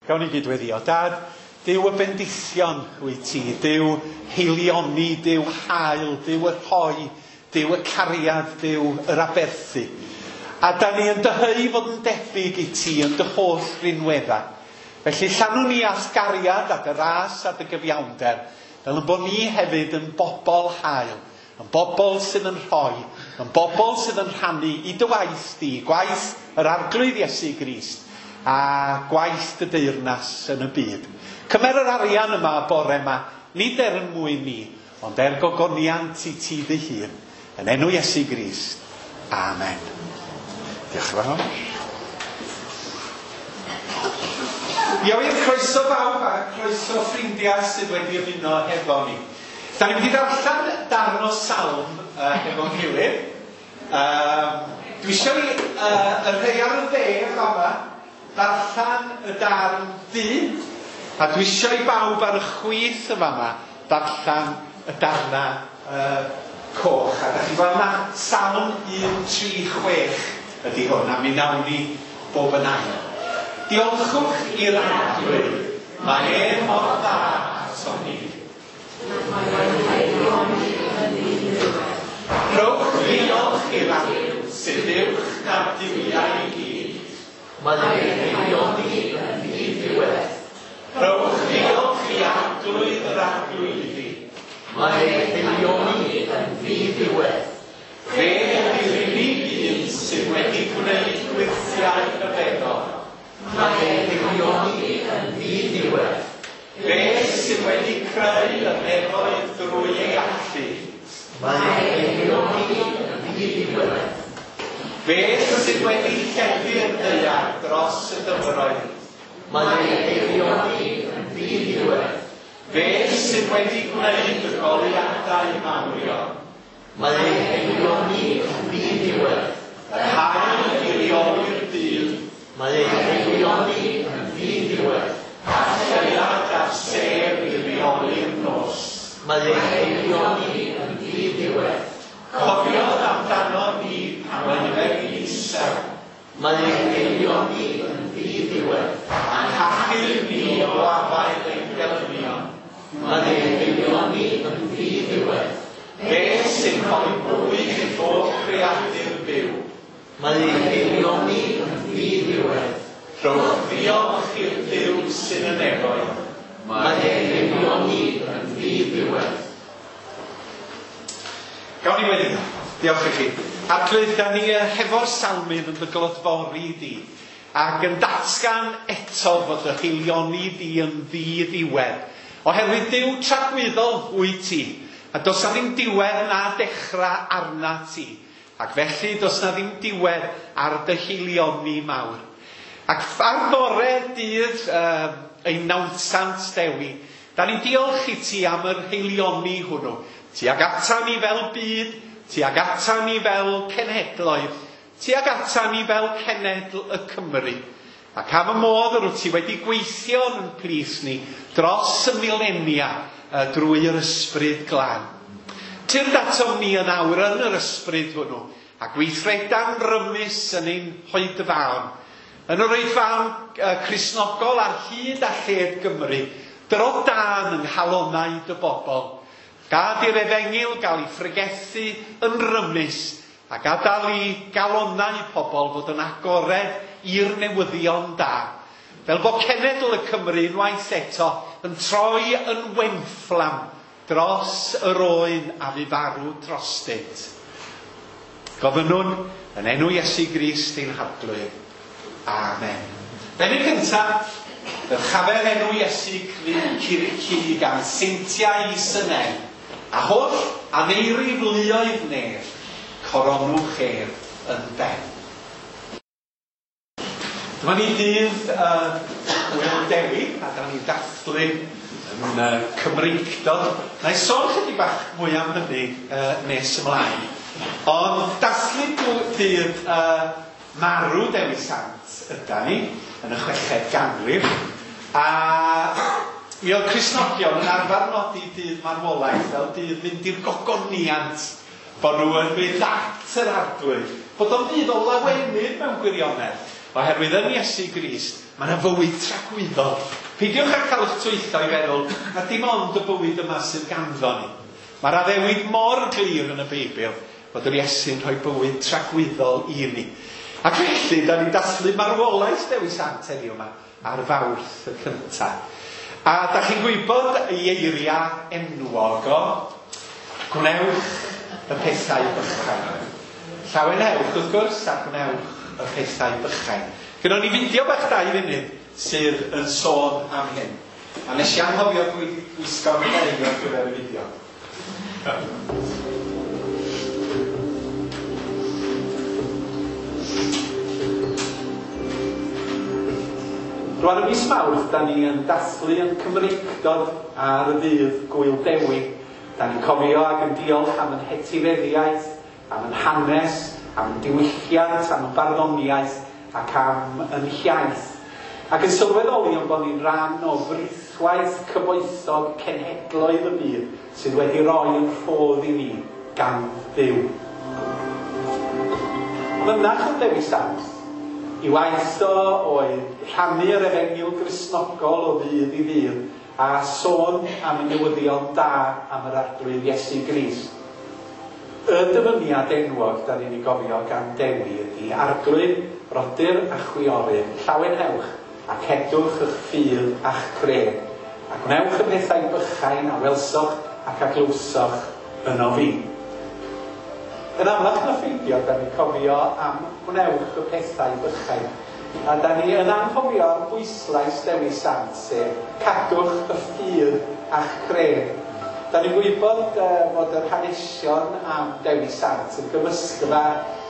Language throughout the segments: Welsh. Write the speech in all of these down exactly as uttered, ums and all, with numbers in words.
Gawn ni gydweddio. Dad, Duw y bendithion wyt ti, Duw heilioni, Duw hael, Duw y rhoi, Duw y cariad, Duw yr aberthu. A da ni yn dyheu fod yn debyg i ti yn dy holl rinweddau. Felly llanwn ni a'th gariad a dy ras a dy gyfiawnder, fel yn bod ni hefyd yn bobl hael, yn bobl sydd yn rhoi, yn bobl sydd yn rhannu i dy waith di, gwaith yr Arglwydd Iesu Grist, a gwaith dy deyrnas yn y byd. Cymer yr arian yma bore yma, nid er yn mwyn ni, ond er gogoniant i ti dy hun. Yn enw Iesu Grist. Amen. Diolch yn fawr. Ia wir, croeso bawb a croeso ffrindiau sydd wedi ymuno hefo ni. Da ni'n mynd i ddarllen darn o salm uh, hefo'n gilydd. Um, dwi eisiau i uh, y rhai ar y dde fama ddarllen y darn du, a dwi eisiau i bawb ar y chwith y fama ddarllen y darna uh, coch. A da chi'n gweld na salm un tri chwech ydy hwn, a mi nawn ni bob yn ail. Diolchwch i'r Arglwydd, mae e mor dda ato ni. Rhowch ddiolch i'r Arglwydd sydd uwch na'r duwiau i gyd. Mae ei haelioni yn ddiddiwedd. Rhowch ddiolch i Arglwydd yr Arglwyddi. Mae ei haelioni yn ddiddiwedd. Fe ydy'r unig un sydd wedi gwneud gwyrthiau rhyfeddol. Mae ei haelioni yn ddiddiwedd. Fe sydd wedi creu y nefoedd drwy ei allu. Mae ei haelioni yn ddiddiwedd. Fe sydd wedi lledu'r ddaear dros y dyfroedd. Mae ei haelioni yn ddiddiwedd. Fe sydd wedi gwneud y goleuadau mawrion. Mae ei haelioni yn ddiddiwedd. Yr haul i reoli'r dydd. Mae ei haelioni yn ddiddiwedd. A'r lleuad a'r sêr i reoli'r nos. Mae ei haelioni yn ddiddiwedd. Cofiodd amdano ni pan oeddem ni'n isel. Mae ei haelioni yn ddiddiwedd. A'n hachub ni o afael ein gelynion. Mae ei haelioni yn ddiddiwedd. Fe sy'n rhoi bwyd i bob creadur byw. Mae ei haelioni yn ddiddiwedd. Rhowch ddiolch i'r Duw sydd yn y nefoedd. Mae ei haelioni yn ddiddiwedd. Gawn ni weddio. Diolch i chi. Arglwydd, da ni hefo'r salmydd yn dy glodfori di, ac yn datgan eto fod dy haelioni di yn ddiddiwedd. Oherwydd Duw tragwyddol wyt ti, a does na ddim diwedd na dechrau arna ti, ac felly does na ddim diwedd ar dy haelioni mawr. Ac ar fore dydd uh, ein nawddsant Dewi, da ni'n diolch i ti am yr haelioni hwnnw. Ti ag ata ni fel byd, ti ag ata ni fel cenhedloedd, ti ag ata ni fel cenedl y Cymru. Ac am y modd yr wyt ti wedi gweithio yn plith ni dros y milenia drwy yr ysbryd glân. Tyrd atom ni yn awr yn yr ysbryd hwnnw, a gweithreda'n rymus yn ein hoedfaon. Yn yr oedfaon Cristnogol ar hyd a lled Gymru, dro dân yng nghalonnau dy bobl. Gad i'r efengyl gael ei phregethu yn rymus, a gadael i galonnau pobl fod yn agored i'r newyddion da. Fel bod cenedl y Cymru unwaith eto yn troi yn wenfflam dros yr oen a fu farw drostynt. Gofynnwn yn enw Iesu Grist ein Harglwydd. Amen. Bennill cyntaf, dyrchafer enw Iesu Crist gan seintiau is y nen, a holl aneirif luoedd nef, coronwch ef yn ben. Dyma ni dydd uh, Gŵyl Dewi, a da ni'n dathlu yn uh, Cymreictod. Na i sôn chydig bach mwy am hynny uh, nes ymlaen. Ond dathlu dydd uh, marw Dewi Sant yda ni, yn y chweched ganrif. A mi oedd Cristnogion yn arfer nodi dydd marwolaeth fel dydd fynd i'r gogoniant, bod nhw yn mynd at yr Arglwydd, bod o'n ddydd o lawenydd mewn gwirionedd. Oherwydd yn Iesu Grist, mae yna fywyd tragwyddol. Peidiwch â cael eich twyllo i feddwl na dim ond y bywyd yma sydd ganddo ni. Mae'r addewid mor glir yn y Beibl fod yr Iesu'n rhoi bywyd tragwyddol i ni. Ac felly, da ni'n dathlu marwolaeth Dewi Sant heddiw yma ar Fawrth y cyntaf. A da chi'n gwybod ei eiriau enwog o, gwnewch y pethau bychain. Llawenhewch wrth gwrs a gwnewch y pethau bychain. Gynnon ni fideo bach dau funud sydd yn sôn am hyn. A nes i anghofio gwisgo fy ngoleuo ar gyfer y fideo. Rwan y mis Mawrth, da ni yn dathlu yn Cymreictod ar y ddydd Gŵyl Dewi. Da ni'n cofio ac yn diolch am yn hetifeddiaeth, am yn hanes, am yn diwylliant, am yn barddoniaeth ac am yn hiaith. Ac yn sylweddoli yn bod ni'n rhan o frithwaith cyfoethog cenhedloedd y byd sydd wedi rhoi yn rhodd i ni gan Dduw. Mynach yn Dewi Sant, i waith o oedd rhannu yr efengyl Gristnogol o ddydd i ddydd a sôn am y newyddion da am yr Arglwydd Iesu Grist. Y dyfyniad enwog da ni'n ei gofio gan Dewi ydy Arglwydd, brodyr a chwiorydd, llawenhewch a cedwch eich ffydd a'ch cred, a gwnewch y pethau bychain a welsoch ac a glywsoch yno fi. Yn amlach na pheidio, da ni'n cofio am gwnewch y pethau bychain. A da ni yn anghofio am bwyslais Dewi Sant, sef cadwch y ffydd a'ch cred. Da ni'n gwybod uh, fod yr hanesion am Dewi Sant yn gymysgfa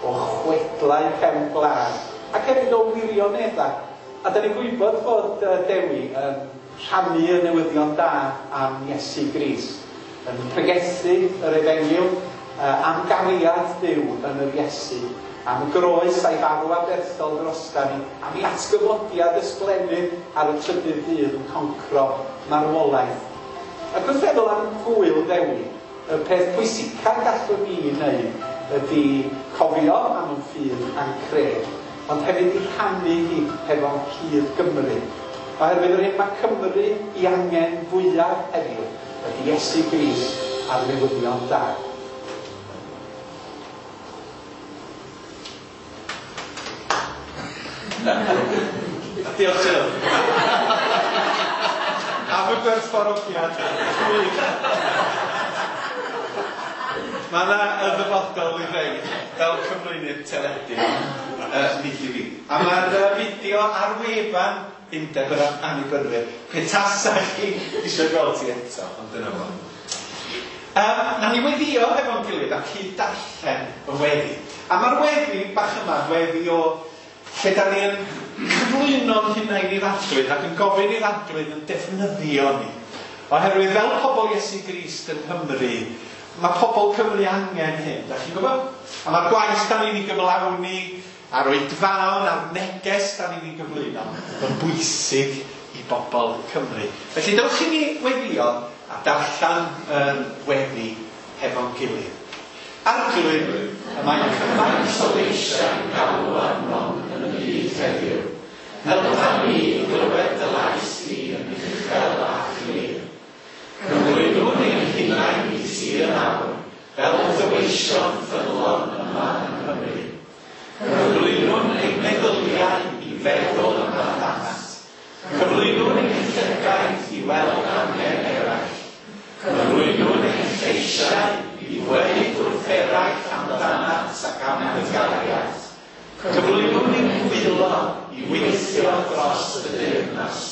o chwedlau cefn gwlad ac hefyd o wirioneddau. A da ni'n gwybod fod uh, Dewi yn rhannu y newyddion da am Iesu Grist, yn pregethu yr efengyl uh, am gariad Duw yn yr Iesu, am y groes a'i farw aberthol drosta ni, am ei atgyfodiad ysblennydd ar y trydydd dydd yn concro marwolaeth. Ac wrth feddwl am Gŵyl Ddewi, y peth pwysica gallwn ni wneud ydy cofio am yn ffydd a'n cred, ond hefyd i rhannu hi hefo'n cyd Gymru. Oherwydd yr hyn mae Cymru i angen fwyaf heddiw ydy Iesu Grist a'r newyddion da. Diolch Jill. Am y gwerthfawrogiad. Gwych. Mae yna y ddyfodol i rei fel cyflwynydd teledu uh, nid i fi. A mae'r uh, fideo ar wefan Undeb yr Annibynwyr. Petasa chi eisiau gweld ti eto, ond dyna fo. Um, na ni weddio hefo'n gilydd a cyd darllen y weddi. A mae'r weddi bach yma, weddi o lle da ni yn cyflwyno'n hunain i'r Arglwydd ac yn gofyn i'r Arglwydd yn defnyddio ni. Oherwydd fel pobl Iesu Grist yng Nghymru, mae pobl Cymru angen hyn, da chi'n gwybod? A mae'r gwaith da ni'n ei gyflawni, a'r oedfaon, a'r neges da ni'n ei gyflwyno, yn bwysig i bobl Cymru. Felly dewch i ni weddio a darllen yr weddi hefo'n gilydd. Arglwydd, y mae cymaint o leisiau'n galw arnom yn y byd heddiw. Helpa ni i glywed dy lais di yn uchel a chlir. Cyflwynwn ein hunain i ti yn awr, fel dy weision ffyddlon yma yng Nghymru. Cyflwynwn ein meddyliau i feddwl amdanat. Cyflwynwn ein llygaid i weld angen eraill. Cyflwynwn ein lleisiau i ddweud wrth eraill amdanat ac am dy gariad. Cyflwynwn ein dwylo i weithio dros y deyrnas.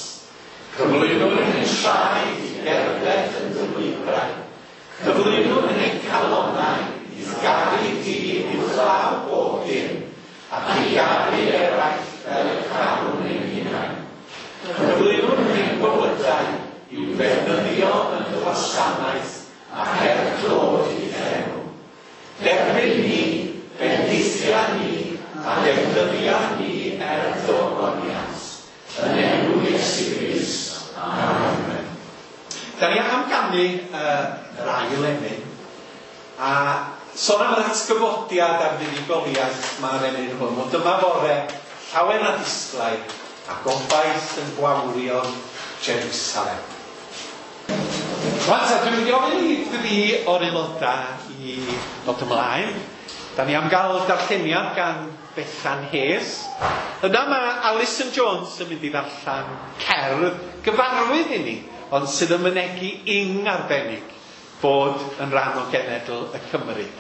Cyflwynwn ein traed i gerdded yn dy lwybrau. Cyflwynwn ein calonnau i garu di uwchlaw bob dim, ac i garu eraill fel y carwn ein hunain. Cyflwynwn ein bywydau i'w ddefnyddio yn dy wasanaeth ac er clod i enw. Derbyn ni, bendithia ni, a defnyddia ni er dy ogoniant. Yn enw Iesu Grist. Amen. Da ni am ganu uh, yr ail emyn, a sôn am yr atgyfodiad a'r fuddugoliaeth mae'r emyn hwn. Wel, dyma fore llawen a disglair, a gobaith yn gwawrio'n Jerusalem. Rwan ta, dwi'n mynd i ofyn i dri o'r aelodau i ddod ymlaen. Da ni am gael darlleniad gan Bethan Hayes. Yna mae Alison Jones yn mynd i ddarllen cerdd gyfarwydd i ni, ond sydd yn mynegi ing arbennig bod yn rhan o genedl y Cymru.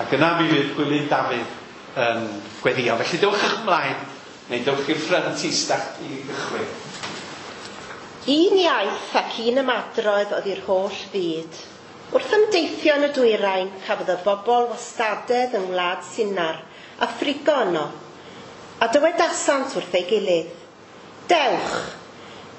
Ac yna mi fydd Gwilym Dafydd yn gweddio. Felly dewch ymlaen, neu dewch i'r ffrynt i i gychwyn. Un iaith ac un ymadrodd oedd i'r holl fyd. Wrth ymdeithio yn y dwyrain, cafodd y bobl wastadedd yng ngwlad Sinar a thrigo yno, a dywedasant wrth ei gilydd, "Dewch,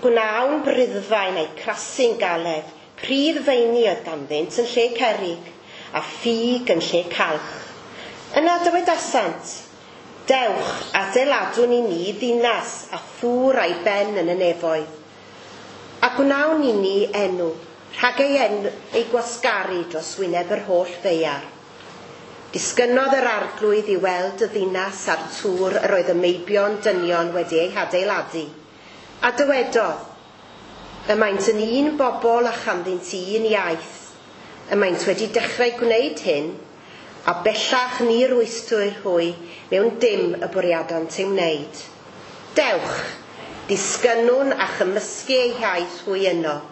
gwnawn briddfaen a'i crasu'n galed, pridd feini oedd ganddynt yn lle cerrig, a ffug yn lle calch." Yna dywedasant, "Dewch, adeiladwn i ni ddinas a thŵr a'i ben yn y nefoedd, a gwnawn i ni enw, rhag ei, enw, ei gwasgaru dros wyneb yr holl ddaear." Disgynnodd yr arglwydd i weld y ddinas a'r tŵr yr oedd y meibion dynion wedi ei hadeiladu, a dywedodd, "Y maent yn un bobl a chanddynt un iaith. Y maent wedi dechrau gwneud hyn, a bellach ni rwystwyr hwy mewn dim y bwriadant ei wneud. Dewch, disgynnwn a chymysgu eu hiaith hwy yno,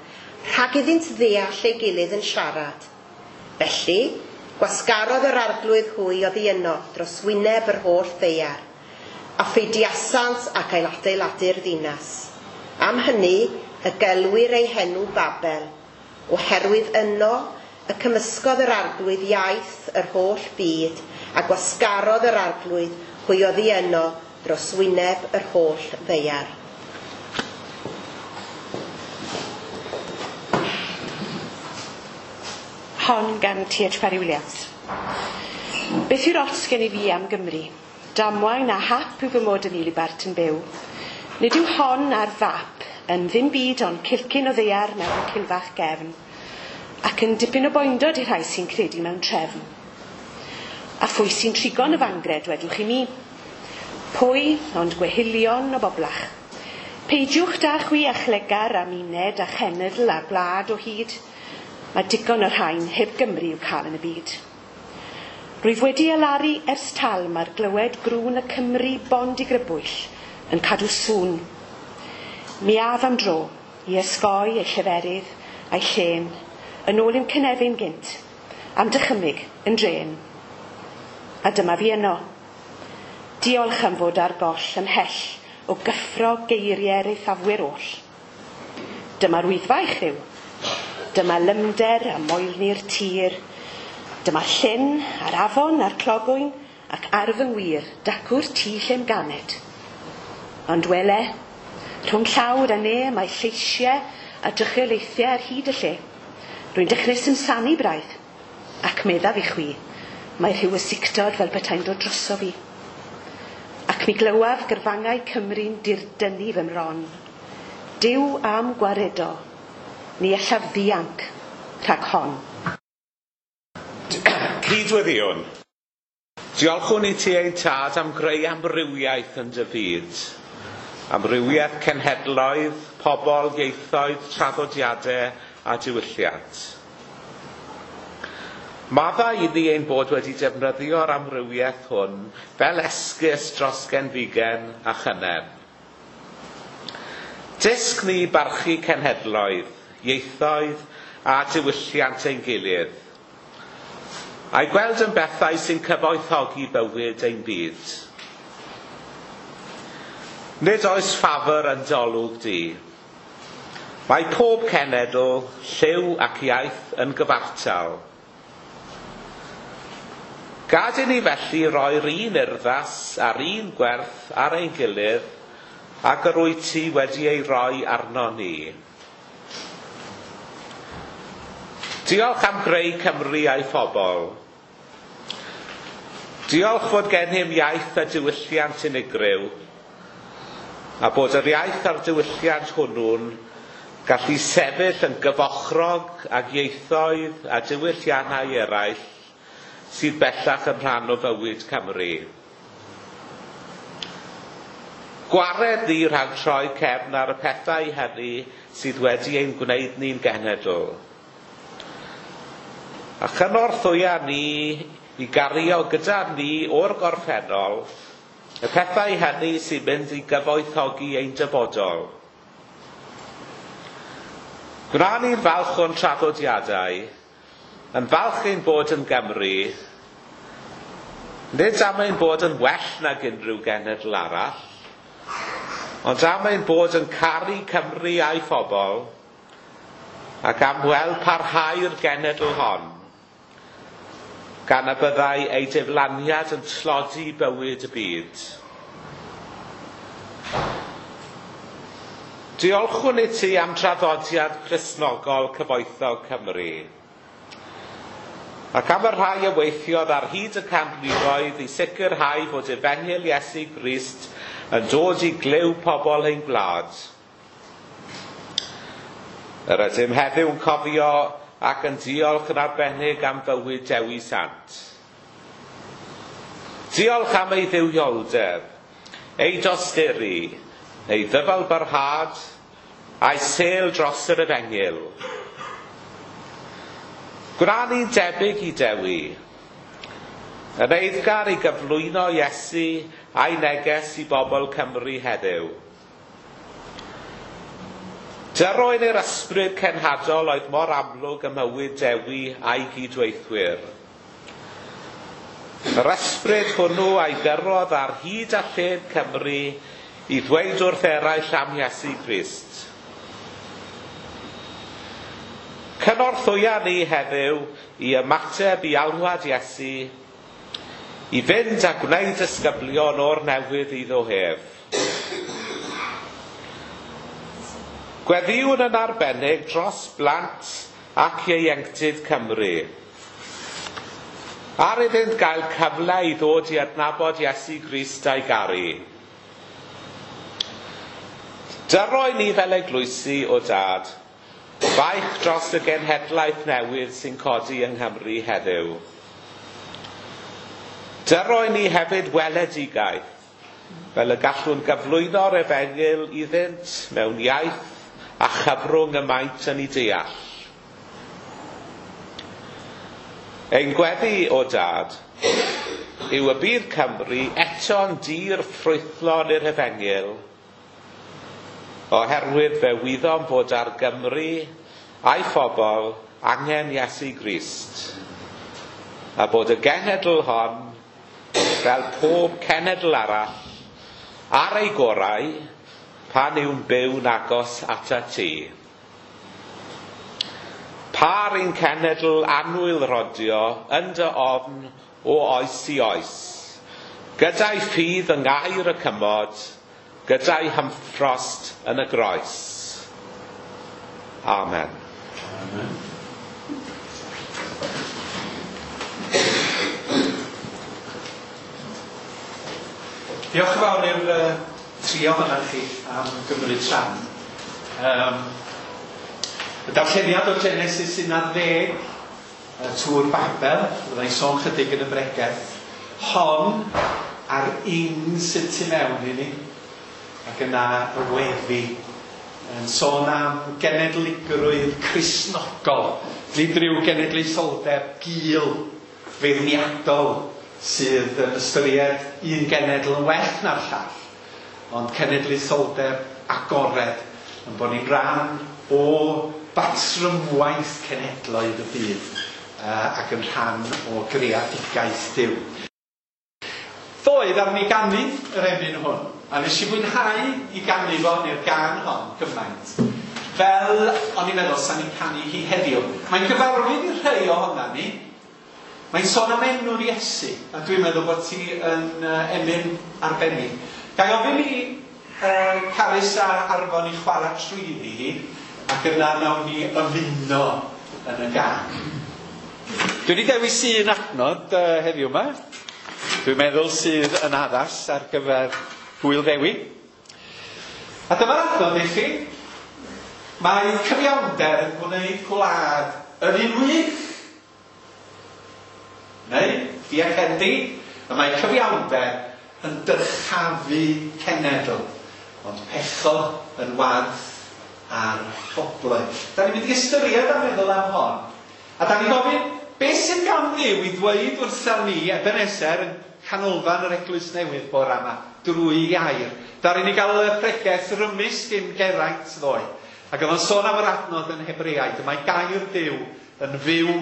rhag iddynt ddeall ei gilydd yn siarad." Felly, gwasgarodd yr arglwydd hwy oddi yno dros wyneb yr holl ddaear, a pheidiasant ac ailadeiladu'r ddinas. Am hynny, y gelwir ei henw Babel, oherwydd yno y cymysgodd yr arglwydd iaith yr holl byd, a gwasgarodd yr arglwydd hwy oddi yno dros wyneb yr holl ddaear. Hon gan T H Parry Williams. Beth yw'r ots gen i fi am Gymru? Damwain a hap yw fy mod yn Nilybart yn byw. Nid yw hon ar fap yn ddim byd ond cilcyn o ddaear mewn cilfach gefn, ac yn dipyn o boendod i'r rhai sy'n credu mewn trefn. A phwy sy'n trigo'n y fangre, dwedwch i mi? Pwy ond gwehilion o boblach? Peidiwch da chwi a chlegar am uned a chenedl a gwlad o hyd. Mae digon o'r rhain heb Gymru i'w cael yn y byd. Rwyf wedi alaru ers talm ar glywed grŵn y Cymru bond i grybwyll yn cadw sŵn. Mi af am dro i ysgoi ei lleferydd a'i llên yn ôl i'm cynefin gynt, am dychymyg yn drên. A dyma fi yno. Diolch am fod ar goll ymhell o gyffro geiriau'r eithafwyr oll. Dyma'r wyddfa i chryw. Dyma lymder a moelni'r tir. Dyma llyn a'r afon a'r clogwyn ac ar fy ngwir dacw'r tŷ lle'm ganed. Ond wele, rhwng llawr a ne mae lleisiau a drychiolaethiau ar hyd y lle. Rwy'n dechrau simsanu braidd, ac meddaf i chwi, mae rhyw ysictod fel petai'n dod droso fi. Ac mi glywaf gyrfangau Cymru'n dirdynnu fy mron. Duw am gwaredo, ni allaf ddianc rhag hon. Cydweddïwn, diolchwn i ti ein tad am greu amrywiaeth yn dy fyd. Amrywiaeth cenhedloedd, pobl, ieithoedd, traddodiadau a diwylliant. Maddau iddi ein bod wedi defnyddio'r amrywiaeth hwn fel esgus dros genfigen a chynneb. Dysg ni barchu cenhedloedd, ieithoedd a diwylliant ein gilydd, a'i gweld yn bethau sy'n cyfoethogi bywyd ein byd. Nid oes ffafr yn dolwg di. Mae pob cenedl, lliw ac iaith yn gyfartal. Gad i ni felly roi'r un urddas a'r un gwerth ar ein gilydd ac yr wyt ti wedi ei roi arno ni. Diolch am greu Cymru a'i phobl. Diolch fod gennym iaith a diwylliant unigryw, a bod yr iaith a'r diwylliant hwnnw'n gallu sefyll yn gyfochrog ag ieithoedd a diwylliannau eraill sydd bellach yn rhan o fywyd Cymru. Gwared ni rhag troi cefn ar y pethau hynny sydd wedi ein gwneud ni'n genedl. A chynorthwya ni i gario gyda ni o'r gorffennol y pethau hynny sy'n mynd i gyfoethogi ein dyfodol. Gwna ni'n falch o'n traddodiadau, yn falch ein bod yn Gymru, nid am ein bod yn well nag unrhyw genedl arall, ond am ein bod yn caru Cymru a'i phobl, ac am weld parhau'r genedl hon, gan y byddai ei diflaniad yn tlodi bywyd y byd. Diolchwn i ti am traddodiad Cristnogol cyfoethog Cymru, ac am y rhai a weithiodd ar hyd y canrifoedd i sicrhau fod Efengyl Iesu Grist yn dod i glyw pobl ein gwlad. Yr ydym heddiw'n cofio ac yn diolch yn arbennig am fywyd Dewi Sant. Diolch am ei dduwioldeb, ei dosturi, ei ddyfalbarhad, a'i sêl dros yr Efengyl. Gwna ni'n debyg i Dewi, yn eiddgar i gyflwyno Iesu a'i neges i bobl Cymru heddiw. Dyroen i'r ysbryd cenhadol oedd mor amlwg ym mywyd Dewi a'i gydweithwyr. Yr ysbryd hwnnw a'i gyrrodd ar hyd a lled Cymru i ddweud wrth eraill am Iesu Grist. Cynorthwya ni heddiw i ymateb i alwad Iesu, i fynd a gwneud ysgyblion o'r newydd iddo hef. Gweddïwn yn arbennig dros blant ac ieuenctid Cymru. Ar iddynt gael cyfle i ddod i adnabod Iesu Grist a'i garu. Dyroi ni fel eglwysi o dad, baich dros y genhedlaeth newydd sy'n codi yng Nghymru heddiw. Dyroi ni hefyd weledigaeth, fel y gallwn gyflwyno'r efengyl iddynt mewn iaith a chyfrwng y maent yn ei deall. Ein gweddi o dad yw y bydd Cymru eto'n dir ffrwythlon i'r efengyl, oherwydd fe wyddom fod ar Gymru a'i phobl angen Iesu Grist, a bod y genedl hon, fel pob cenedl arall, ar ei gorau pan yw'n byw'n agos atat ti. Par ein cenedl annwyl rodio yn dy ofn o oes i oes, gyda'i ffydd yng ngair y cymod, gyda'i hymffrost yn y groes. Amen. Amen. Diolch yn fawr i'r uh, tri ohonoch chi am gymryd rhan. Um, y darlleniad o Genesis un ar ddeg, y Tŵr Babel, fyddai'n sôn chydig yn y bregeth, hon a'r ing sydd tu mewn i ni, ac yna y weddi, yn sôn am genedligrwydd Cristnogol, nid rhyw genedlaetholdeb gul, feirniadol, sydd yn ystyried un genedl yn well na'r llall, ond cenedlaetholdeb agored, yn bod ni'n rhan o batrymwaith cenedloedd y byd, uh, ac yn rhan o greadigaeth Duw. Ddoe ddaru ni ganu yr emyn hwn, a nes i fwynhau i ganu fo, neu'r gân hon, gymaint. Fel o'n i'n meddwl sa'n ni'n canu hi heddiw. Mae'n gyfarwydd i'r rhai ohonan ni. Mae'n sôn am enw'r Iesu, a dwi'n meddwl bod ti yn uh, emyn arbennig. Ga i ofyn i uh, Carys a Arfon i chwarae trwyddi hi, ac yna nawn ni ymuno yn y gân. Dwi wedi dewis un adnod uh, heddiw yma. Dwi'n meddwl sydd yn addas ar gyfer Gŵyl Ddewi. A dyma'r adnod i chi. Mae cyfiawnder yn gwneud gwlad yn un wych. Neu, diacedi, y mae cyfiawnder yn dyrchafu cenedl. Ond pechod yn warth ar bobloedd. Da ni'n mynd i ystyried a meddwl am hon. A da ni'n gofyn, beth sydd gan Dduw i ddweud wrtha ni Ebenezer yn canolfan yr Eglwys Newydd bore yma, drwy air. Daru ni gael y pregeth rymus gyn Geraint ddoe. Ac oedd o'n sôn am yr adnod yn Hebreaid. Mae gair Duw yn fyw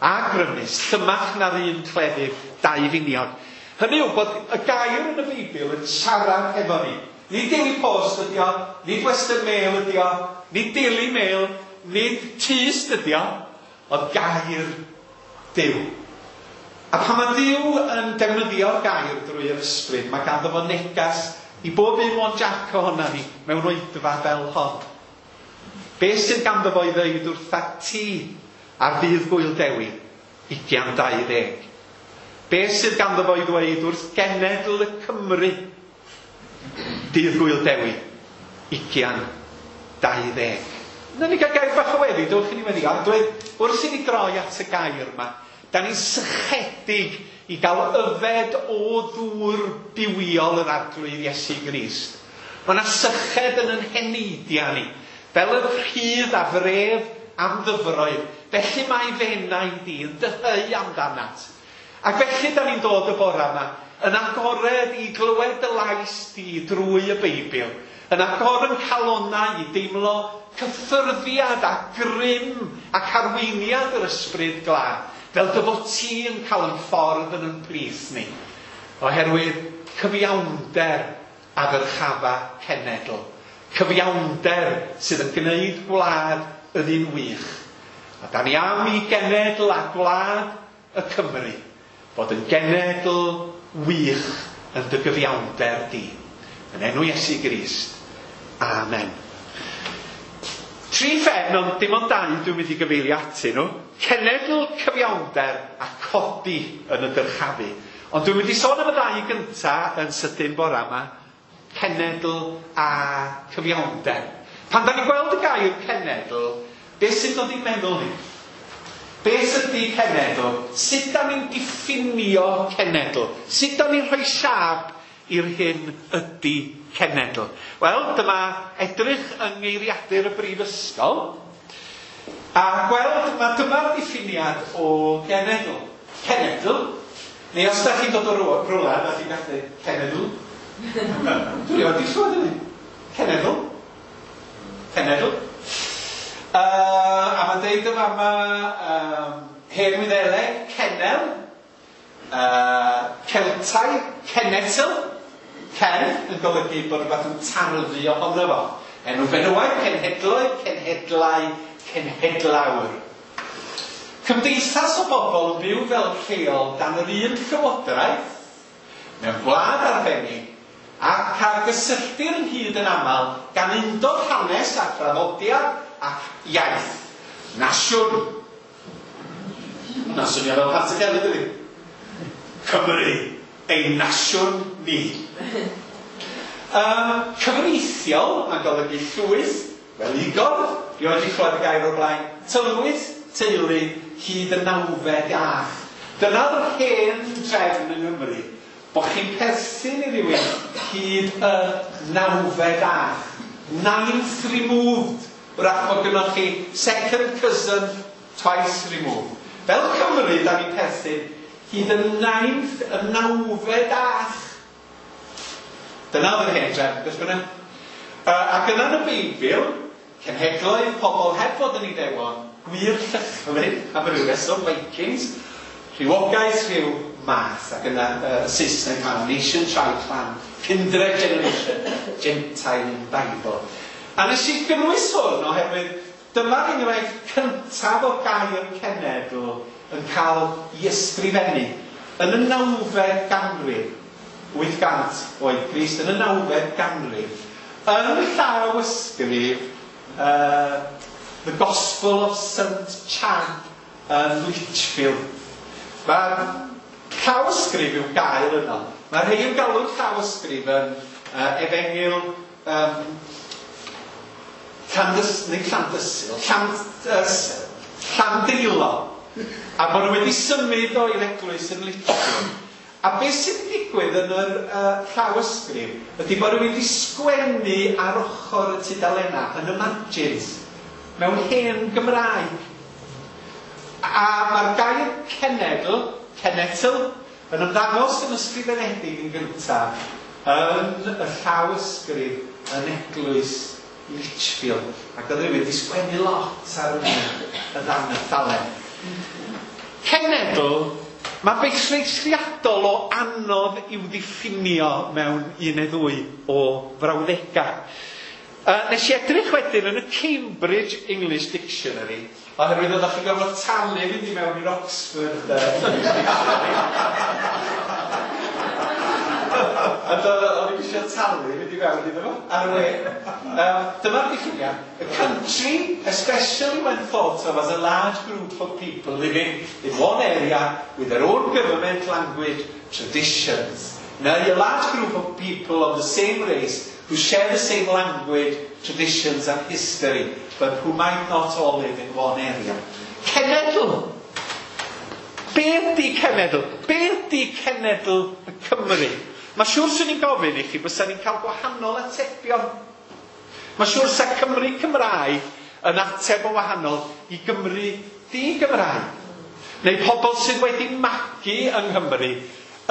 a grymus, llymach na'r un cleddyf, dau finiog. Hynny yw bod y gair yn y Beibl yn siarad efo ni. Nid Daily Post ydi o, nid Western Mail ydi o, nid Daily Mail, nid Tyst ydi o, ond gair Duw. A pan mae Duw yn defnyddio'r gair drwy'r ysbryd, mae ganddo fo negas i bob un o'n Jack ohona ni mewn oedfa fel hon. Be sydd ganddo fo i ddeud wrtha ti ar ddydd Gŵyl Dewi, ugian dau ddeg? Be sydd ganddo fo i ddweud wrth genedl y Cymru, dydd Gŵyl Dewi, ugian dau ddeg? Nawn ni gael gair bach o weddi, dewch i ni weddi. A dweud, wrth i ni droi at y gair yma, da ni'n sychedig i gael yfed o ddŵr bywiol yr Arglwydd Iesu Grist. Mae yna syched yn yn heneidiau ni, fel y rhydd a fref am ddyfroedd. Felly mae f'enaid i yn dyheu amdanat. Ac felly da ni'n dod y bore yma, yn agored i glywed dy lais di drwy y Beibl, yn agor yn calonnau i deimlo cyffyrddiad a grym ac arweiniad yr Ysbryd Glân, fel dy fod ti yn cael yn ffordd yn yn plith ni, oherwydd cyfiawnder a ddyrchafa cenedl, cyfiawnder sydd yn gwneud gwlad yn un wych. A da ni am i genedl a gwlad y Cymru fod yn genedl wych yn dy gyfiawnder di. Yn enw Iesu Grist. Amen. Tri phen, ond dim ond dau dwi'n mynd i gyfeirio atyn nhw. Cenedl, cyfiawnder a codi yn y dyrchafu. Ond dwi'n mynd i sôn am y ddau gynta yn sydyn bore yma. Cenedl a cyfiawnder. Pan da ni'n gweld y gair cenedl, beth sy'n dod i'n meddwl ni? Beth ydy cenedl? Sut da ni'n diffinio cenedl? Sut da ni'n rhoi siâp i'r hyn ydy cenedl? Wel, dyma edrych yng ngeiriadur y Brifysgol a gweld, mae dyma'r diffiniad o genedl. Cenedl, neu os da chi'n dod o rwla, da chi'n gallu cenedl. Dwi'n rioed 'di clywed hynny. Cenedl. Cenedl. Uh, a mae'n deud yma yma um, hen Wyddeleg, cenel, uh, Celtaidd, cenetl, cen yn golygu bod rhywbeth yn tarddu ohono fo. Enw benywaidd, cenhedloedd, cenhedlau, cenhedlawr. Cymdeithas o bobl yn byw fel rheol dan yr un llywodraeth, mewn gwlad arbennig, ac ar gysylltir ynghyd yn aml gan undod hanes a thraddodiad ac iaith. Nasiwn. Hwnna'n swnio fel Pat y Gelyn, dydi? Cymru, ein nasiwn ni. Um, cyfreithiol, mae'n golygu llwyth, wel igor, rioed 'di clywed y gair o'r blaen, tylwyth, teulu, hyd y nawfed ach. Dyna'r hen drefn yng Nghymru, bod chi'n perthyn i rywun hyd y nawfed ach. Ninth removed. Wrach bod gynnoch chi second cousin twice removed. Fel Cymru, da ni'n perthyn hyd y ninth, y nawfed ach. Dyna oedd yr hen drefn, beth bynnag. Uh, ac yna yn y Beibl, cenhedloedd pobl heb fod yn Iddewon, gwir Llychlyn, am ryw reswm, Vikings, rhywogaeth rhyw math, ac yna uh, Saesneg ma, nation, tribe, clan, kindred generation, Gentile in Bible. A nes i gynnwys hwn oherwydd dyma'r enghraifft cyntaf o gair cenedl yn cael ei ysgrifennu yn y nawfed ganrif, wyth cant oed Grist, yn y nawfed ganrif, yn llaw ysgrif uh, The Gospel of Saint Chad yn Lichfield. Mae llawysgrif i'w gael yno. Mae rhai yn galw'r llawysgrif yn uh, efengyl um, Llandys, neu Llandysul, Lland, uh, Llandeilo. A bod nhw wedi symud o i'r eglwys yn Lichfield. A beth sy'n digwydd yn yr uh, llawysgrif ydy bod rhywun wedi sgwennu ar ochr y tudalennau yn y margins mewn hen Gymraeg. A mae'r gair cenedl, cenedl, yn ymddangos yn ysgrifenedig yn gyntaf yn y llawysgrif yn eglwys Lichfield. Ac oedd rhywun wedi sgwennu lot ar y ddalen. Cenedl, mae beth eithriadol o anodd i'w ddiffinio mewn un neu ddwy o frawddegau. Uh, nes i edrych wedyn yn y Cambridge English Dictionary, oherwydd oeddech chi'n gorfod talu fynd i mewn i'r Oxford uh, English Dictionary. A o'n i'n eisiau talu fynd i mewn iddo fo, ar y we. Uh, dyma'r diffiniad. A country, especially when thought of as a large group of people living in one area with their own government, language, traditions. Now, a large group of people of the same race who share the same language, traditions and history, but who might not all live in one area. Cenedl. Be ydy cenedl? Be ydy cenedl y Cymru? Mae siŵr swn i'n gofyn i chi bysa ni'n cael gwahanol atebion. Mae siŵr sa Cymru Cymraeg yn ateb o wahanol i Gymru di-Gymraeg. Neu pobl sydd wedi magu yng Nghymru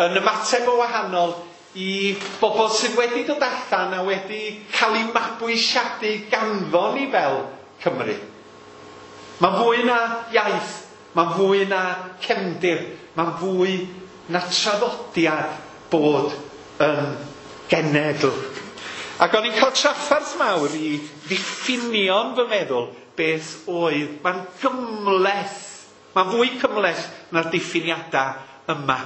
yn ymateb o wahanol i bobl sydd wedi dod allan a wedi cael eu mabwysiadu ganddo ni fel Cymru. Mae'n fwy na iaith, mae'n fwy na cefndir, mae'n fwy na traddodiad bod yn genedl. Ac o'n i'n cael trafferth mawr i ddiffinio'n fy meddwl beth oedd. Mae'n gymhleth, mae'n fwy cymhleth na'r diffiniadau yma.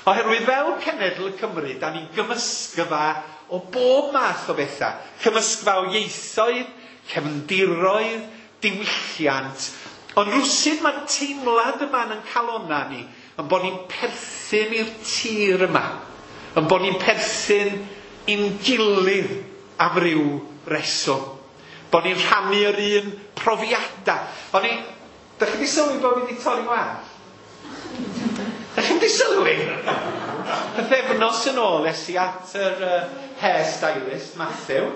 Oherwydd fel cenedl y Cymru, da ni'n gymysgfa o bob math o bethau. Cymysgfa o ieithoedd, cefndiroedd, diwylliant. Ond rwsut mae'r teimlad yma yn calona ni, yn bod ni'n perthyn i'r tir yma. Yn bod ni'n perthyn i'n gilydd am ryw reswm. Bod ni'n rhannu yr un profiadau. O'n i, dach chi wedi sylwi bod fi wedi torri wallt? Dach chi wedi sylwi? Pythefnos yn ôl es i at yr uh, hairstylist, Matthew.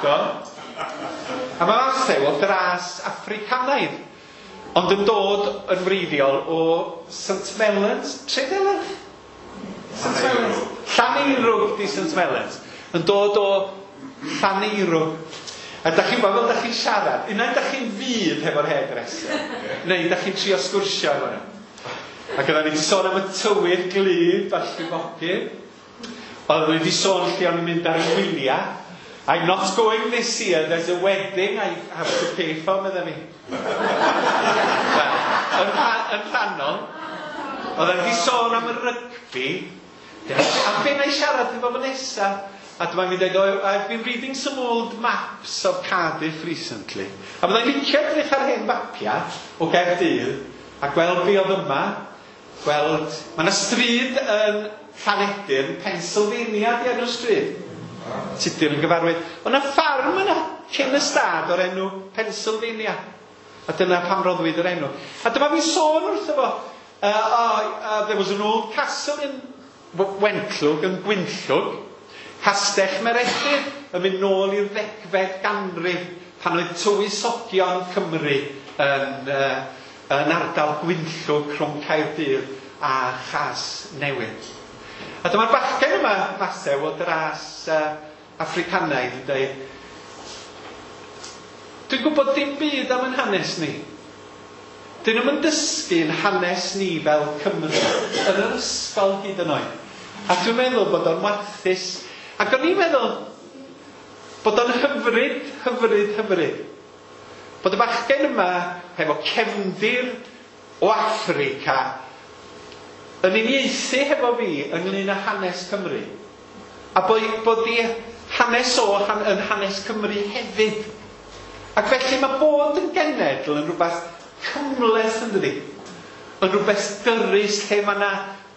Do. A mae Matthew o dras Africanaidd, ond yn dod yn wreiddiol o Saint Mellons. Tredeler? Saint Mellons. Llaneirwg di Saint Mellons. Yn dod o Llaneirwg. A dach chi'n gwybod fel dach chi'n siarad, unai dach chi'n fud hefo'r hairdresser, neu dach chi'n trio sgwrsio efo nhw. Ac oedden ni wedi sôn am y tywydd glyd a'r llifogydd. Oedden ni wedi sôn lle o'n i'n mynd ar y wyliau. I'm not going this year, there's a wedding I have to pay for, medda fi. Wel, yn, yn rhannol, oedden ni wedi sôn am y rygbi, a be na i siarad efo fo nesa? A dyma fi'n dweud, oh, I've been reading some old maps of Cardiff recently. A byddai'n licio edrych ar hen fapiau o Gaerdydd a gweld be oedd yma. Gweld, mae yna stryd yn Llanedyrn, Pennsylvania di enw'r stryd. Tudur yn gyfarwydd. Oedd yna ffarm yna cyn y stad o'r enw Pennsylvania. A dyna pam roddwyd yr enw. A dyma fi'n sôn wrtho fo. Uh, oh, uh, there was an old castle in Wentlwg, yn Gwynllwg. Castell Meredydd yn mynd nôl i'r ddegfed ganrif pan oedd tywysogion Cymru yn, uh, yn ardal Gwynllwg rhwng Caerdydd a Chasnewydd. A dyma'r bachgen yma, Masew, o dras uh, Africanaidd yn dweud, dwi'n gwybod dim byd am yn hanes ni. Dyn nhw'n yn dysgu'n hanes ni fel Cymru yn yr ysgol hyd yn oed. A dwi'n meddwl bod o'n warthus. Ac o'n i'n meddwl bod o'n hyfryd, hyfryd, hyfryd. Bod y bachgen yma hefo cefndir o Affrica yn uniaethu hefo fi ynglyn â hanes Cymru. A bod, bod i hanes o han, yn hanes Cymru hefyd. Ac felly mae bod yn genedl yn rhywbeth cymhleth yn dydi. Yn rhywbeth dyrys lle mae yna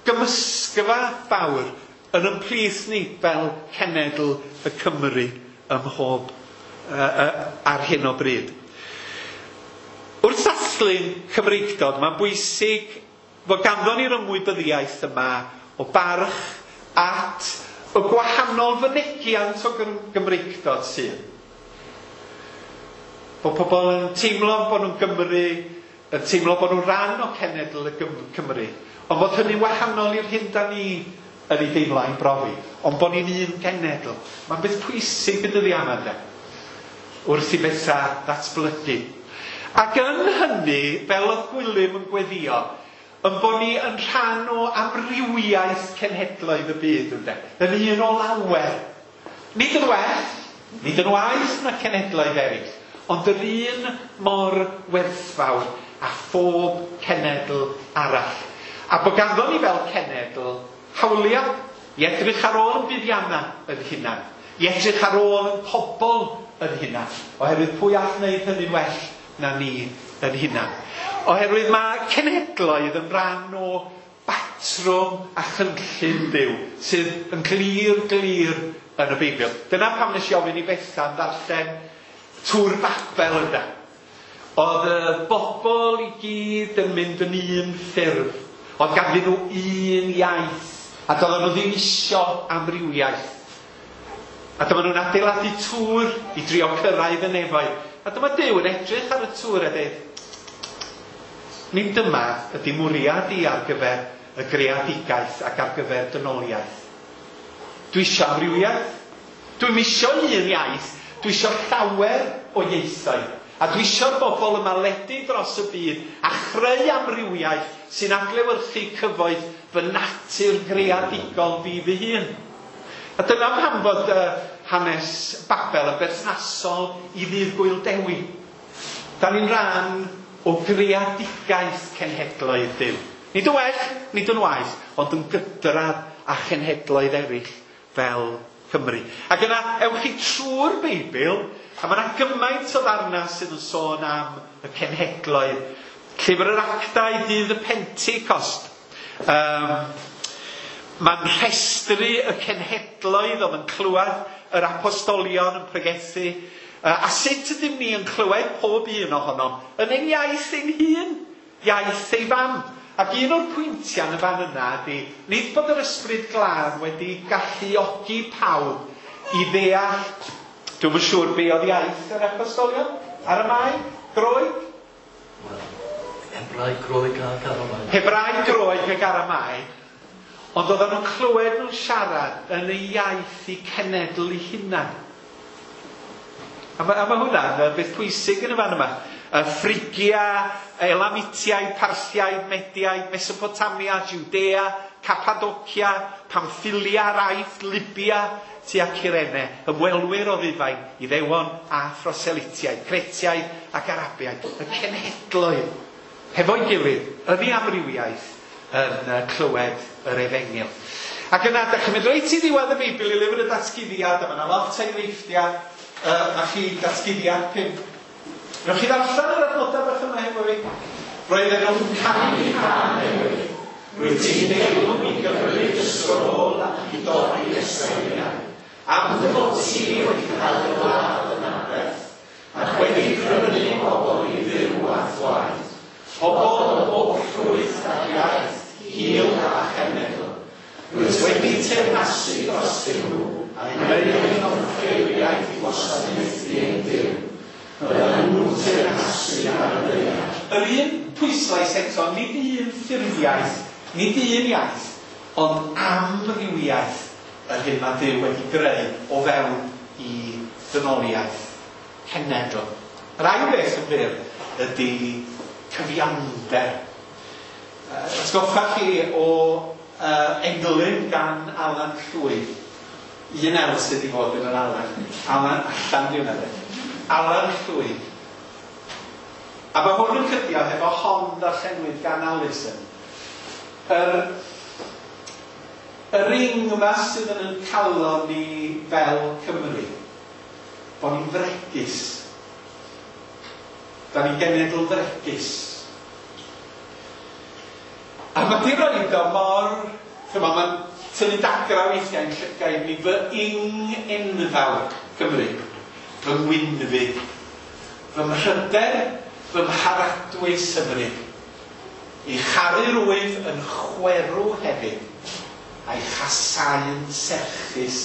gymysgfa fawr yn ymplith ni fel cenedl y Cymru ym mhob uh, uh, ar hyn o bryd. Wrth ddathlu'n Cymreictod, mae'n bwysig Fod ganddo ni'r ymwybyddiaeth yma o barch at y gwahanol fynegiant o Gymreictod sydd. Bod pobl yn teimlo bod nhw'n Gymru, yn teimlo bod nhw'n rhan o cenedl y Cymru. Ond bod hynny'n wahanol i'r hyn da ni yn ei deimlo a'n brofi. Ond bod ni'n un genedl. Mae'n beth pwysig y dyddiau yma, de, wrth i bethau ddatblygu. Ac yn hynny, fel oedd Gwilym yn gweddio, yn bod ni yn rhan o amrywiaeth cenhedloedd y byd, ynde? Yn un o lawer. Nid yn well, nid yn waeth na cenhedloedd eraill, ond yr un mor werthfawr a phob cenedl arall. A bod ganddo ni fel cenedl hawliau i edrych ar ôl yn buddiannau yn hunan, i edrych ar ôl yn pobl yn hunan, oherwydd pwy all wneud hynny'n well na ni yn hunan. Oherwydd mae cenhedloedd yn rhan o batrwm a chynllun Duw sydd yn glir glir yn y Beibl. Dyna pam nes i ofyn i Bethan ddarllen Tŵr Babel yna. Oedd y bobl i gyd yn mynd yn un ffurf. Oedd ganddyn nhw un iaith. A doedden nhw ddim isio amrywiaeth. A dyma nhw'n adeiladu tŵr i drio cyrraedd y nefoedd. A dyma Duw yn edrych ar y tŵr a dweud, nid dyma ydy mwriad i ar gyfer y greadigaeth ac ar gyfer dynoliaeth. Dwi isio amrywiaeth. Dwi'm isio un iaith. Dwi isio llawer o ieithoedd. A dwi isio'r bobl yma ledu dros y byd a chreu amrywiaeth sy'n adlewyrchu cyfoeth fy natur greadigol fi fy hun. A dyna pam fod uh, hanes Babel yn berthnasol i ddydd Gŵyl Dewi. Da ni'n rhan o greadigaeth cenhedloedd Duw. Nid yn well, nid yn waeth, ond yn gydradd â chenhedloedd eraill fel Cymru. Ac yna, ewch chi trwy'r Beibl, a mae yna gymaint o ddarnau sydd yn sôn am y cenhedloedd. Llyfr yr Actau, dydd y Pentecost. Um, Mae'n rhestru y cenhedloedd oedd yn clywed yr apostolion yn pregethu. A sut ydym ni yn clywed pob un ohonom yn ein iaith ein hun, iaith ei fam. Ac un o'r pwyntiau yn y fan yna ydy, nid bod yr Ysbryd Glân wedi galluogi pawb i ddeall, dwi'm yn siŵr be oedd iaith yr apostolion, Aramaeg, Groeg? Hebraeg, Groeg ac Aramaeg. Hebraeg, Groeg ac Aramaeg. Ond oedden nhw'n clywed nhw'n siarad yn y iaith i cenedl eu hunan. A mae, a mae hwnna'n beth pwysig yn y fan yma. Y Ffrigia, Elamitiaid, Parthiaid, Mediaid, Mesopotamia, Judea, Cappadocia, Pamphylia, Aifft, Libya, tua Cyrene, ymwelwyr o Rufain, Iddewon a Phroselitiaid, Cretiaid ac Arabiaid, y cenhedloedd, hefo'i gilydd, yn ei amrywiaeth, yn clywed yr efengyl. Ac yna, da chi'n mynd reit i ddiwedd y Beibl i lyfr y Datguddiad, a mae yna lot o enghreifftiau, uh, na chi Datguddiad pump. Newch chi ddarllen yr adnodau bach yma hefo fi? Roedden nhw'n canu cân newydd. Rwyt ti'n deilwng i gymryd y sgrôl ac i dorri y seiliau. Am dy fod ti wedi cael dy ladd yn aberth, ac wedi prynu pobl i Dduw a thwaed. Pobl o bob llwyth ac iaith, hil a chenedl. Rwyt wedi teyrnasu drostyn nhw, a gwneud yn offeiriaid i wasanaethu ein Duw. Byddan nhw'n teyrnasu ar y ddaear. Yr un pwyslais eto, nid un ffurfiaeth, nid un iaith, ond amrywiaeth yr hyn mae Duw wedi greu o fewn i ddynoliaeth cenedl. Yr ail beth yn fyr ydy cyfiawnder. Atgoffa chi o uh, englyn gan Alan Llwyd. Un el sydd wedi fod yn yr Alan. Alan allan di hwnna. Alan Llwyd. A mae hwn yn cydio hefo hon ddarllenwyd gan Alison. Yr, yr ing yma sydd yn ein calon ni fel Cymru. Bod ni'n fregus. Da ni'n genedl fregus. A mae di roed o mor... Chyma, mae'n tynnu dagra weithiau yn llygaid ni fy ing enfawr Cymru. Fy ngwynfyd. Fy mhryder, fy mharadwys Cymru. Ei charu rwyf yn chwerw hefyd, a'i chasau'n serchus.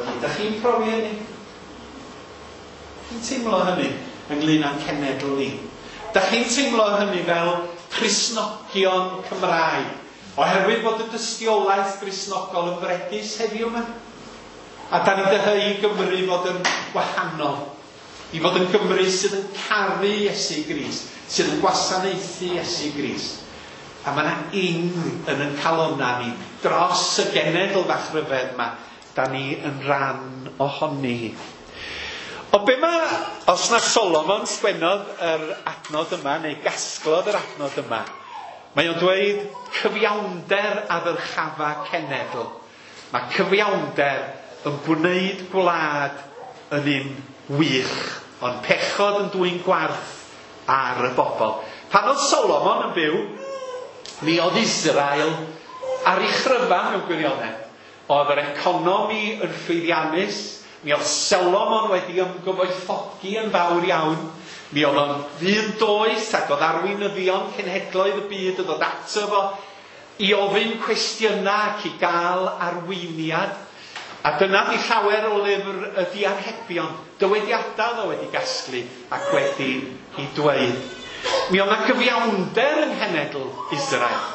Ydych chi'n profi hynny? Chi'n teimlo hynny ynglyn â'n cenedl ni? Dych chi'n teimlo hynny fel Cristnogion Cymraeg, oherwydd bod y dystiolaeth Gristnogol yn fregus heddiw yma? A da ni'n dyheu i Gymru fod yn wahanol, i fod yn Gymru sydd yn caru Iesu Grist, sydd yn gwasanaethu Iesu Grist. A mae yna ing yn ein calonna ni dros y genedl fach ryfedd yma, da ni yn rhan ohoni hi. O be mae, os na Solomon sgwennodd yr adnod yma, neu gasglodd yr adnod yma, mae o'n dweud cyfiawnder a ddyrchafa cenedl. Mae cyfiawnder yn gwneud gwlad yn un wych, ond pechod yn dwyn gwarth ar y bobl. Pan oedd Solomon yn byw, mi oedd Israel ar ei chryfa mewn gwirionedd. Oedd yr economi yn llwyddiannus, mi oedd Solomon wedi ymgyfoethogi yn fawr iawn, mi oedd o'n ddyn doeth ac oedd arweinyddion cenhedloedd y byd yn dod ato fo i ofyn cwestiynau ac i gael arweiniad. A dyna di llawer o lyfr y diarhebion, dywediadau oedd o wedi gasglu ac wedi i dweud. Mi oedd na gyfiawnder yng nghenedl Israel.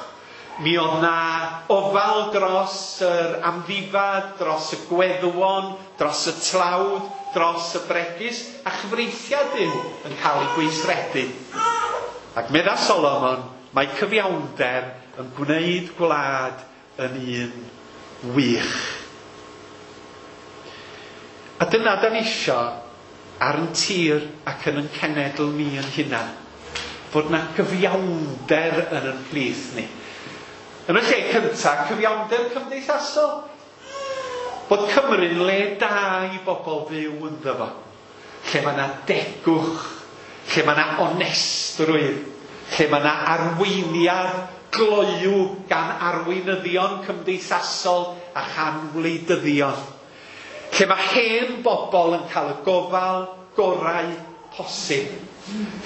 Mi oedd na ofal dros yr amddifad, dros y gweddwon, dros y tlawd, dros y bregus, a chyfreithiau Duw yn cael ei gweithredu. Ac medda Solomon, mae cyfiawnder yn gwneud gwlad yn un wych. A dyna da ni isio ar yn tir ac yn yn cenedl ni yn hunan. Fod na gyfiawnder yn yn plith ni. Yn y lle cyntaf, cyfiawnder cymdeithasol. Bod Cymru'n le da i bobl fyw ynddo fo. Lle mae yna degwch, lle mae yna onestrwydd, lle mae yna arweiniad gloyw gan arweinyddion cymdeithasol a chan wleidyddion. Lle mae hen bobl yn cael y gofal gorau posib.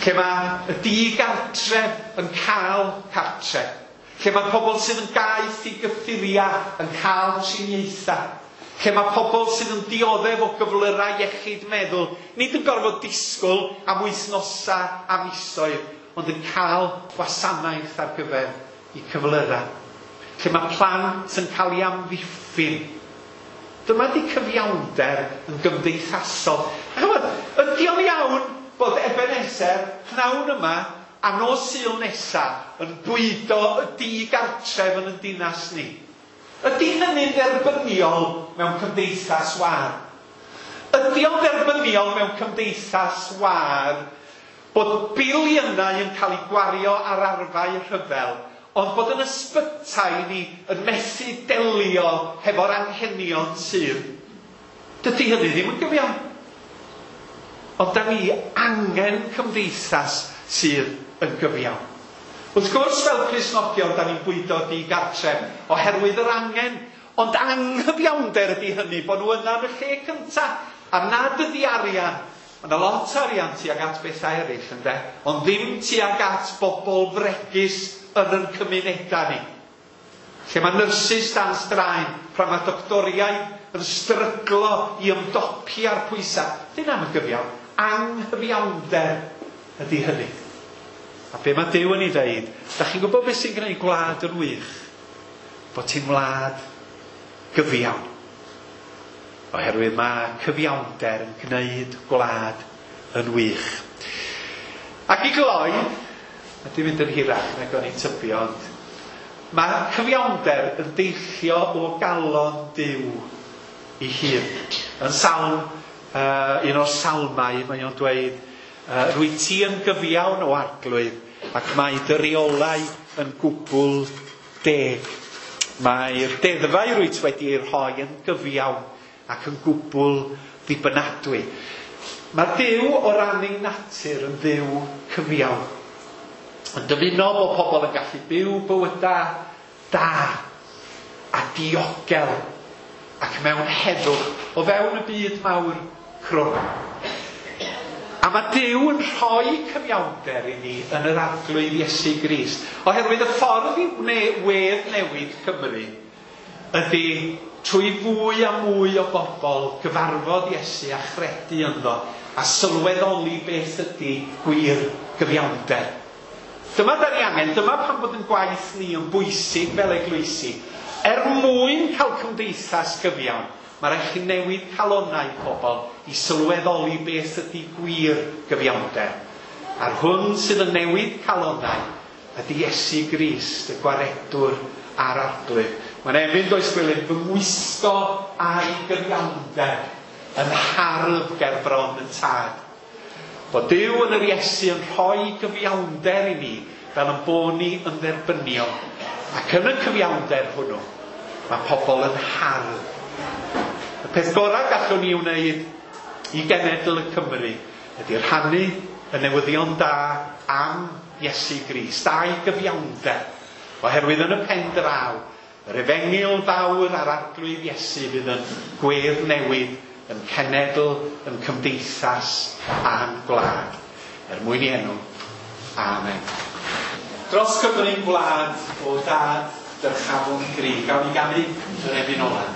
Lle mae y digartref yn cael cartref. Lle mae pobl sydd yn gaeth i gyffuriau yn cael triniaethau. Lle mae pobl sydd yn dioddef o gyflyrau iechyd meddwl, nid yn gorfod disgwyl am wythnosau a misoedd, ond yn cael gwasanaeth ar gyfer eu cyflyrau. Lle mae plant yn cael ei amddiffyn. Dyma di cyfiawnder yn gymdeithasol. A chymod, ydy o'n iawn bod Ebenezer pnawn yma a nos Sul nesa yn bwydo y digartref yn y dinas ni? Ydy hynny'n dderbyniol mewn cymdeithas wâr? Ydy o'n dderbyniol mewn cymdeithas wâr bod biliynau yn cael eu gwario ar arfau rhyfel, ond bod yn ysbytai ni yn methu delio hefo'r anghenion sydd? Dydy hynny ddim yn gyfiawn. Ond da ni angen cymdeithas sydd yn gyfiawn. Wrth gwrs, fel Cristnogion, da ni'n bwydo digartref oherwydd yr angen, ond anghyfiawnder ydy hynny, bod nhw yna yn y lle cyntaf, a nad ydy arian. Mae yna lot o arian tuag at bethau eraill, ynde? Ond ddim tuag at bobl fregus yn yn cymunedau ni. Lle mae nyrsys dan straen, pan mae doctoriaid yn stryglo i ymdopi ar pwysau. Dyna am y gyfiawn. Anghyfiawnder ydy hynny. A be mae Duw yn ei ddeud, da chi'n gwybod beth sy'n gwneud gwlad yn wych? Bod ti'n wlad gyfiawn. Oherwydd mae cyfiawnder yn gwneud gwlad yn wych. Ac i gloi, a di mynd yn hirach nag o'n i'n tybio, ond mae cyfiawnder yn deillio o galon Duw ei hun. Yn salm, uh, un o'r salmau, mae o'n dweud, uh, rwy ti yn gyfiawn o Arglwydd, ac mae dy reolau yn gwbl deg. Mae'r deddfau rwyt wedi ei rhoi yn gyfiawn ac yn gwbl ddibynadwy. Mae Duw o ran ei natur yn Dduw cyfiawn. Yn dymuno bod pobl yn gallu byw bywydau da a diogel ac mewn heddwch o fewn y byd mawr crwn. A mae Duw yn rhoi cyfiawnder i ni yn yr Arglwydd Iesu Grist. Oherwydd y ffordd i wedd newid Cymru ydy trwy fwy a mwy o bobl gyfarfod Iesu a chredu ynddo a sylweddoli beth ydy gwir gyfiawnder. Dyma da ni angen, dyma pam bod yn gwaith ni yn bwysig fel eglwysi. Er mwyn cael cymdeithas gyfiawn, mae rhaid chi newid calonnau pobl i sylweddoli beth ydy gwir gyfiawnder. A'r hwn sydd yn newid calonnau ydy Iesu Grist, y gwaredwr a'r Arglwydd. Mae'n emyn, does Gwilym, fy ngwisgo a'i gyfiawnder yn hardd ger bron y Tad. Bod Duw yn yr Iesu yn rhoi gyfiawnder i ni fel yn bod ni yn dderbyniol. Ac yn y cyfiawnder hwnnw, mae pobl yn hardd. Y peth gorau gallwn ni wneud i genedl y Cymru ydy rhannu y newyddion da am Iesu Grist, a'i gyfiawnder. Oherwydd yn y pen draw, yr efengyl fawr a'r Arglwydd Iesu fydd yn gwedd newid yn cenedl, yn cymdeithas a'n gwlad. Er mwyn i enw. Amen. Dros Gymru'n gwlad o dad dyrchafwn gry. Gawn ni ganu yr emyn ola.